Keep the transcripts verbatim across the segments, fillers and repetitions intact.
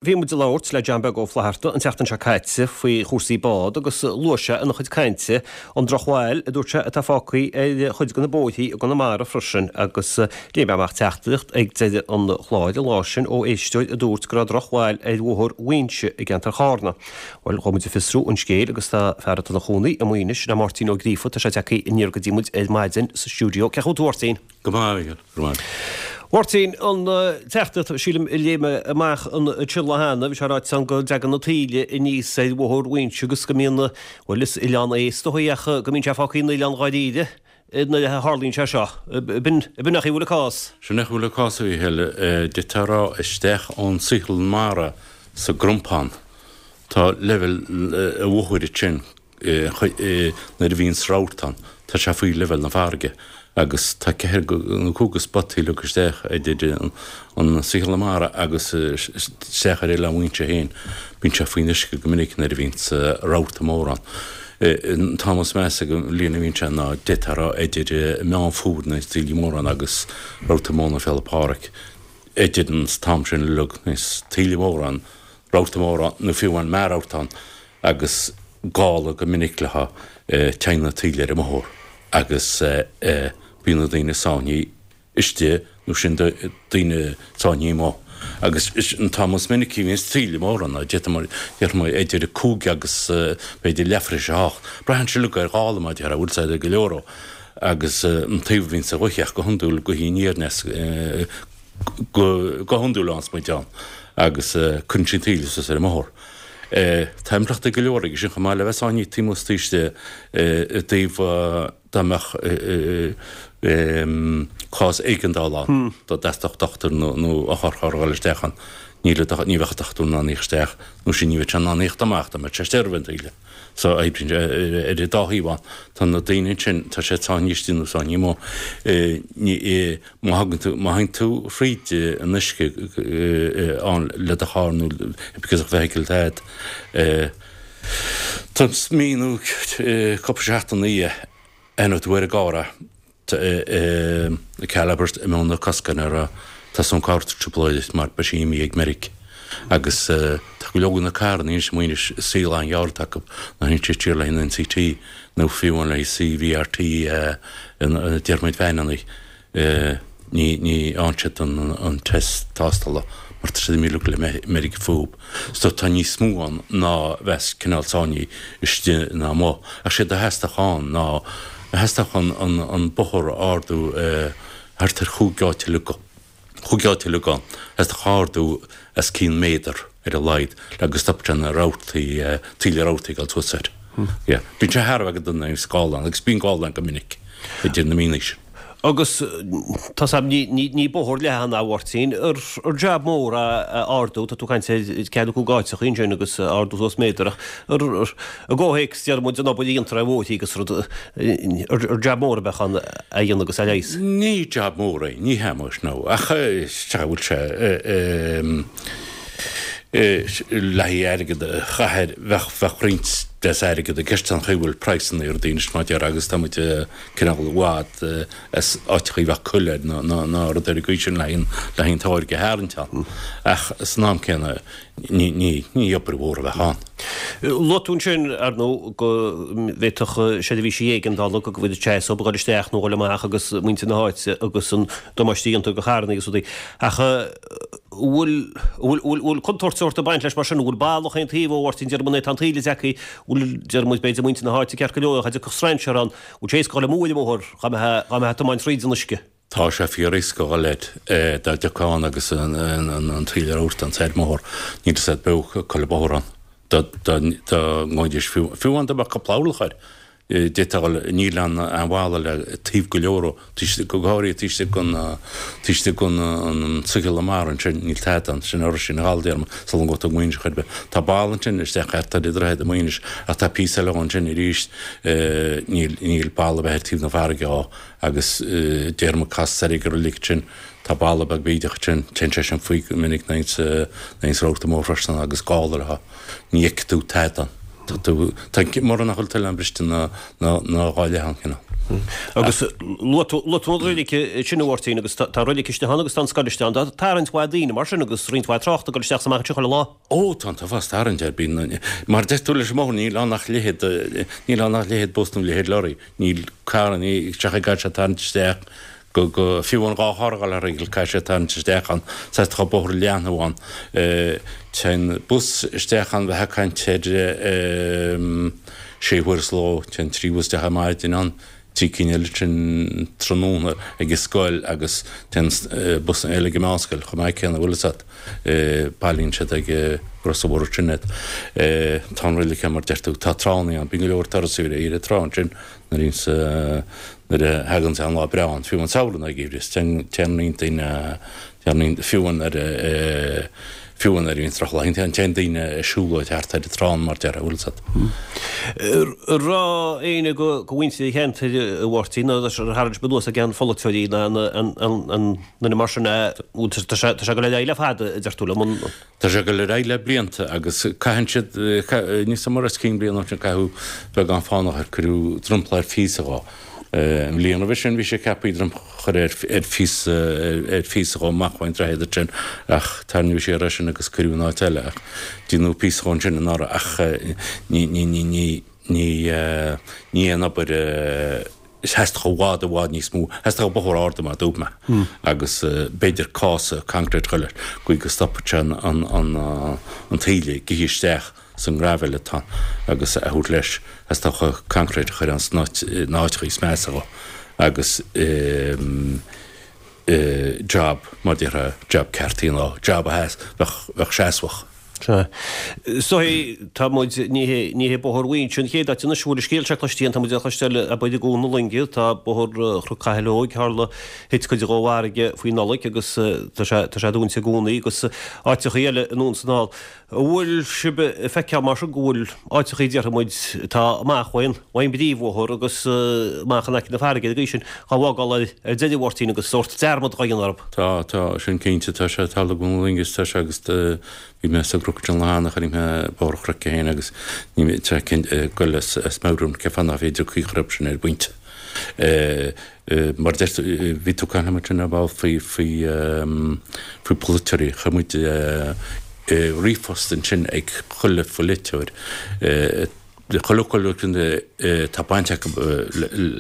Bhí muid ag labhairt le John Beag Ó Flatharta an tseachtain seo caite faoi chúrsaí bád agus luaigh sé ina chuid cainte an drochbhail a dúirt sé atá fágtha ar chuid de na bóithrí i gConamara freisin agus léigh mé amach teachtaireacht ag deireadh an chláir an lá sin ó éisteoir a dúirt go raibh drochbhail ar bhóthar Mhaínse i gceantar Chárna. Bhuel, ghabh muid ag fiosrú an scéil agus tá fear atá ina chónaí i Maínis, le Máirtín Ó Gríofa, tá sé tagtha aniar go dtí muid ar maidin sa stiúideo. Cén chaoi a bhfuil tú, a Mháirtín? Go maith, a Mhichíl, go maith. Mháirtín, an teachtaireacht, sílim, a léigh mé amach anseo cheana, bhí sé ráite ann go dtagann na taoille aníos ar bhóthar Mhaínse agus go mbíonn, bhuel, is oileán é is dóigh ach go mbíonn sé fágtha ina oileán dháiríre nuair a tharlaíonn sé seo. B'in an chaoi a bhfuil an cás? Sin é an chaoi a bhfuil an cás, a Mhichíl. D'fhéadfá a rá isteach ón Saotharlann Mara sa gCrompán, tá leibhéal an bhóthair ansin, nuair a bhíonns rabharta ann, tá sé faoi leibhéal na farraige agus tá ceithre nó cúig de spotaí uilig isteach idir an Saotharlann Mara agus isteach ar Oileán Mhaínse féin. Bíonn sé faoin uisce go minic nuair a bhíonns rabharta mór ann. An t-am is measa den bhliain a bhíonn sé ná d'fhéadfá a rá idir Meán Fómhair nuair is taoillí móra ann agus rabharta mór na Féile Pádraig. Idir an t-am sin uilig nuair is taoille mór ann, rabharta mór ann nó fiú amháin mear-rabharta ann agus gála go minic leo, téann na taoille ar an mbóthar agus bíonn na daoine sáinnithe istigh nó sin daoine sáinnithe amuigh. Agus an t-am is minicí a bhíonns taoille mór ann, déarfaidh mé idir a cúig agus b'fhéidir leathuair tar éis a hocht. Braitheann sé uilig ar ghála mar a déarfá, bhfuil sé go leor ó agus an taobh a bhíonns an ghaoth ach go hiondúil gaoth aniar aneas go hiondúil ann is muid ann agus cuireann sí an taoille suas ar an mbóthar. Tá impleachtaí go leor aige sin chomh maith le bheith sáinnithe taobh amuigh is taobh istigh i dtaobh dá mbeadh cás éigeandála ann, dá dteastódh dochtúir nó otharcharr a dhul isteach ann, ní bheadh an dochtúir in ann a thíocht isteach nó sin ní bheadh sé in ann a thíocht amach dá mbeadh sé istigh roimh an taoille. So oibríonn sé ar an dá thaobh ann. Tá na daoine ansin, tá siad sáinnithe istigh nó sáinnithe amuigh. Má thagann tú, má théann tú fríd an uisce ann le do charr nó because of vehicle atá agat, tá mí nó cúpla seachtain ina dhiaidh, aithneoidh tú ar an gcarr é. Calibers i mbun na coscanna ar tá san cárta trioblóid mar beidh sí imithe ag meirg agus tá go leor de na carranna anois amuigh anois saol an-ghearr atá acu ná théann siad siar le haghaidh an NCT nó fiú amháin le haghaidh CVRT deir muid veaineanna ní ní fhaigheann siad an test tástála mar tá siad imithe uilig le meirg fúthu. So tá níos mó ann ná bheas cineál sáinnithe istigh ná amuigh. Ach séard a theastódh ann ná theastódh an an an bóthar a ardú thart ar chúig áit uilig chúig áit uilig ann. Theastódh ardú os cionn méadar ar a laghad le go stopfadh sé na rabhartaí taoille rabhartaí ag dul suas air. Yeah. Bíonn sé thar a bheith go dona nuair a bhíonns gála ann agus bíonn gála ann go minic idir na míonna sin. Agus tá 's a'm, ní bóthar leathan a Mháirtín, ar jab mór a ardú, tá tú ag caint ar ceathair nó cúig áiteacha ansin agus ardú suas méadar ach i gcomhthéacs deir muid an obair a dhéantar ar bhóithrí agus rud, ar jab mór a bheadh ann a dhéanamh agus a leigheas? Ní jab mór é, ní hea muis, no, ach sea, bhfuil sé le haghaidh airgead a chaitheamh air, bheadh, bheadh roinnt deas airgead i gceist an chaoi a bhfuil praghsanna ar rudaí anois mar a déarfá agus tá muid cineál i bhfad as áiteachaí bheadh cur air ná ná rud ar an gcaoi sin le haghaidh le haghaidh an táirge a tharraingt ann. Ach san am céanna ní ní ní obair mhór a bheadh ann. Luaigh tú ansin, ar ndóigh, go bhféadfadh seirbhísí éigeandála go bhfuil sé ag dul isteach nó dul amach agus muintir na háite agus an damáiste a dhéantar do charranna agus rudaí. Ach bhfuil bhfuil bhfuil contúirt sórt ag baint leis mar sin? Bhfuil balla chaon taobh ó Mháirtín deir muid tá an taoille tagtha, bhfuil deir muid b'fhéidir muintir na háite ceart go leor ach dtiocfadh strainséir ann, bhfuil sé éasca dul amú ar an mbóthar dá mbeifeá dá mbeifeá ag tiomáint fríd an uisce? Tá sé fíor éasca dhul air dá dtiocfá ann agus an taoille rabharta ann ar an mbóthar. Níl fhios a'd bheadh chuile bóthar ann dá dá dá ngabhfaidís fiú fiú amháin dá mbeadh cúpla orlach air. D'fhéadfá dhul, níl aon bhalla le taobh go leor ó, go háirithe taobh istigh den, taobh istigh den an Saotharlann Mara ansin, níl tada ann, sin Oiread sin Ghall déarfainn, sula ngabhfaidh tú go Maínis chor ar bith. Tá balla ansin isteach thart ar Droichead i Maínis ach tá píosa eile ansin arís, níl, níl balla ar bith ar taobh na farraige dhó agus déarfainn cas soir ag an reilig ansin, tá balla beag bídeach ansin, téann sé sin faoi go minic nuair a bhíonns rabharta mór freisin agus gála orthu, ní fheicfidh tú tada ann. Tá tú, tá, mura nach bhfuil an t-oileán briste ina, ina, ina dhá leath ann, cineál. Agus luaigh tú an reilig sin a Mháirtín agus tá reilig istigh ann agus tá an scoil istigh ann. Tá tarraingt mhaith daoine mar sin agus roinnt mhaith tráchta ag dul isteach is amach anseo chuile lá. Ó tá an t-uafás tarraingt air bíonn mar deir tú leis an mbóthar níl ann ach leithead níl ann ach leithead bus nó leithead lorry níl carranna isteach ag gabháil sé tarraingt isteach go go fiú an dhá charr a ghabháil thar an caithfidh sé tarraingt isteach ann saghas tá bóthar leathan ann téann bus isteach ann bheith ag caint ar sé huaire sa ló téann trí bhus isteach ar maidin ann trí cinn eile ansin tráthnóna ag an scoil agus téann bus eile ag an meánscoil chomh maith céanna bhfuil fhios agat. Bailíonn siad ag an bhóthar sin iad. Tá an reilig ann mar deir tú, tá tránna ann, bíonn go leor turasóirí ar an trá ansin nuair a nuair a thagann an lá breá ann, fiú an samhradh nó geimhreadh, téann roinnt daoine, téann fiú nuair a Fiú nuair a bhíonn drochlá, téann daoine ag siúlóid thart ar an trá mar déarfá, bhfuil fhios agat. An raibh éinne de mhuintir an cheantair a Mháirtín, nó ar tharraing sibh anuas ag an pholaiteoirí ná an duine mar sin é, tá sé ag dul ar aghaidh le fada, a deir tú liom, an. Tá sé ag dul ar aghaidh le blianta agus caitheann siad, níl fhios agam os cionn bliain ó shin caitheadh beagán fánach air, cuireadh dromchla ar phíosa dhó. An bhliain roimhe sin bhí sé ceaptha dromchla a chur ar phíosa ar phíosa dhó amach ón droichead ansin ach tarraingíodh siar é sin agus cuireadh in áit eile ach déanadh píosa dhó ansin anuraidh ach ní ní ní ní ní ní aon obair theastódh i bhfad i bhfad níos mó theastódh bóthar ard mar dúirt mé agus b'fhéidir cása concrete a chur leis go go stopfadh sé an an an an taoille ag ithe isteach san ngraibhéal atá agus a thabhairt leis theastódh concrete a chur ann sna áiteacha is measa dhó agus job mar déarfá job ceart a dhéanamh job a bheadh bheadh seasmhach. Sea. So tá muid, ní hé ní hé Bóthar Mhaínse an chéad áit anois a bhfuil an scéal seo cloiste againn, tá muid á chloisteáil abair i gCuan na Loinge, tá Bóthar Chnoc Chathail Óig, tharla, thit cuid dhó i bhfarraige faoi Nollaig agus tá sé tá sé dúnta i gcónaí agus áiteachaí eile anonn is anall. An bhfuil sibh ag feiceáil mar sin go bhfuil áiteachaí déarfaidh muid atá amach ón ón bpríomhbhóthar agus amach in aice na farraige ar an gcaoi sin dhá bhfágáil ar ar deireadh a Mháirtín agus sórt dearmad dhá dhéanamh orthu? Tá, tá, sin cinnte, tá sé ag tarlú i gCuan na Loinge tá sé agus bhí mé sa gcnoc an lá cheana chonaic mé Bóthar an Chnoic é féin agus ní tá ag goil as as meabhair cén fáth nach féidir caoi a chur orthu sin ar an bpointe. Mar a deir tú, bhí tú ag caint liom ansin ar ball faoi faoi faoi pholaiteoirí, chuir muid ríomhphost ansin ag chuile pholaiteoir, chuile chuile tá baint acu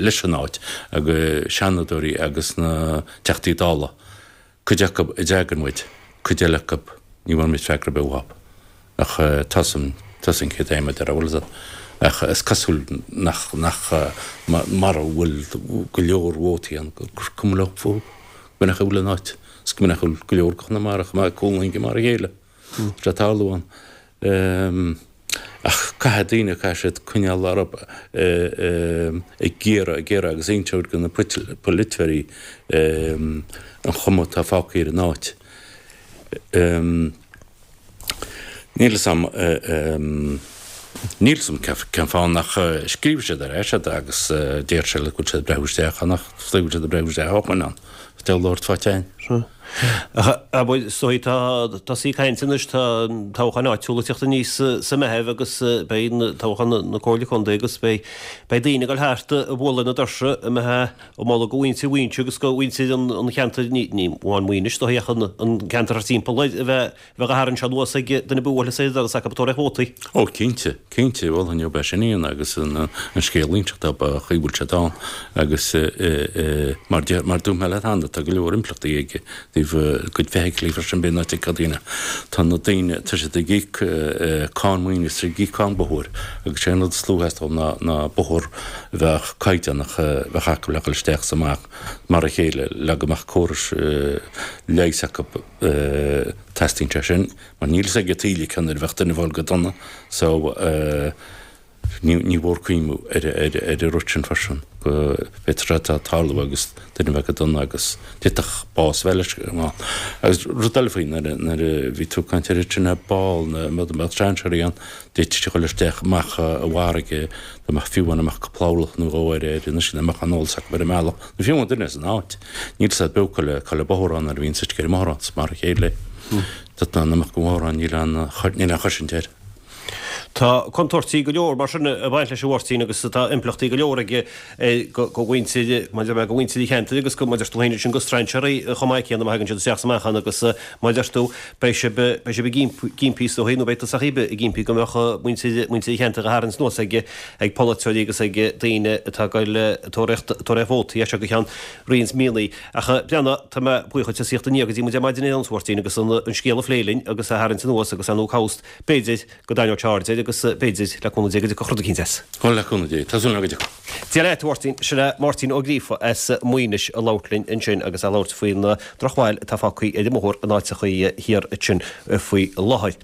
leis an áit, agus seanadóirí agus na Teachtaí Dála. Cuid acu a d'fhreagair muid, cuid eile acu ní bhfuair muid freagra ar bith uathu. Ach tá san, tá san céad aidhm a deir bhfuil fhios agat. Ach is cosúil nach, nach, mara bhfuil go leor vótaí ann gur cuma leo fúthu, go minic a bhfuil in áit, is go minic a bhfuil go leor de Chonamara chomh maith, Cuan na Loinge mar a chéile. Tá sé ag tarlú ann. Ach caithfidh daoine, caithfidh siad coinneáil orthu ag iarraidh, ag iarraidh agus inseacht do na polaiteoirí an chuma atá fágtha ar an áit. Níl fhios a'm, níl fhios a'm cén fáth nach scríobh siad ar ais iad agus deir siad go bhfuil siad ag breathnú isteach ann ach is dóigh go bhfuil siad ag breathnú isteach ó shoin ann. Is deabhal labhairt fá teinn. Abair, so tá tosaí ag caint anois, tá toghcháin áitiúla ag teacht aníos sa Meitheamh agus beidh toghchán na Comhairle Contae agus beidh daoine ag dul thart ag bualadh na doirse a mbeidh ag moladh do mhuintir Mhaínse agus do mhuintir an cheantair, ní amháin Maínis, is dóigh ach an ceantar thart timpeall air a bheith bheith á tharraingt anuas ag duine ar bith a bhuailfeas ar an doras acu ag tabhairt vótaí. Ó cinnte, cinnte, bhuel inniu beidh sin ann agus an scéal iontach dá ba chaoi bhfuil siad ann agus mar mar dúirt mé leat cheana tá go leor impleachtaí ag taobh cuid feithiclí freisin bíonn áit ag daoine tá na daoine tá siad ag íoc cáin maoine is ag íoc cáin bóthair agus sé an rud is lú a theastódh ná ná bóthar a bheadh caighdeánach a bheadh acu le dhul isteach is amach mar a chéile le go mbeadh córais leighis acu Teastaíonn sé sin mar níl fhios ag an taoille cén uair a bheadh duine ag fáil go dona so ní ní mhór cuimhniú ar ar ar an rud sin freisin go bhféadfadh sé atá ag tarlú agus duine bheith go dona agus d'fhéadfadh bás a bheith leis ann. Agus rud eile faoi nuair a nuair a bhí tú ag caint ar sin ar ball na mbeadh strainséirí ann d'fhéadfadh sé dhul isteach amach i bhfarraige dá mbeadh fiú amháin dá mbeadh cúpla orlach nó dhó ar ar an uisce dá mbeadh an eolas acu ar an mbealach nó fiú amháin duine as an áit. Níl fhios a'd beo cá le cá le bóthar ann nuair a bhíonn suite ar an mbóthar ann, is mar a chéile é. Dá mbeadh go bhóthar ann níl aon níl aon chosaint air. Tá. Tá contúirtí go leor mar sin ag baint leis a Mháirtín agus tá impleachtaí go leor aige go mhuintir go mhuintir an cheantair agus go maidir tú féin sin go strainséirí chomh maith céanna má thagann siad isteach sa meáchan agus mar a deir tú beidh sibh beidh sibh ag impí is dóigh nó beidh tusa ag impí go mbeadh muintir muintir an cheantair á tharraingt anuas ag ag polaiteoirí agus ag daoine atá ag goil tóraíocht tóraíocht vótaí as seo go ceann roinnt míonna. Ach breathnaigh tá mé buíoch duit as ucht a theacht go dtí muid ar maidin inniu a Mháirtín agus an scéal a phlé linn agus a tharraingt anuas agus ar ndóigh cá bhfios b'fhéidir go dtarraingeoidh sé aird air agus b'fhéidir le cúnamh Dé go dtiocfadh rud eicínt as. Ó le cúnamh Dé, tá súil agam go dtiocfaidh. Dia leat, a Mháirtín. Sin é Máirtín Ó Gríofa as Maínis ag labhairt linn ansin agus ag labhairt faoin drochbhail atá fágtha ar an mbóthar in áiteachaí thiar ansin faoi láthair.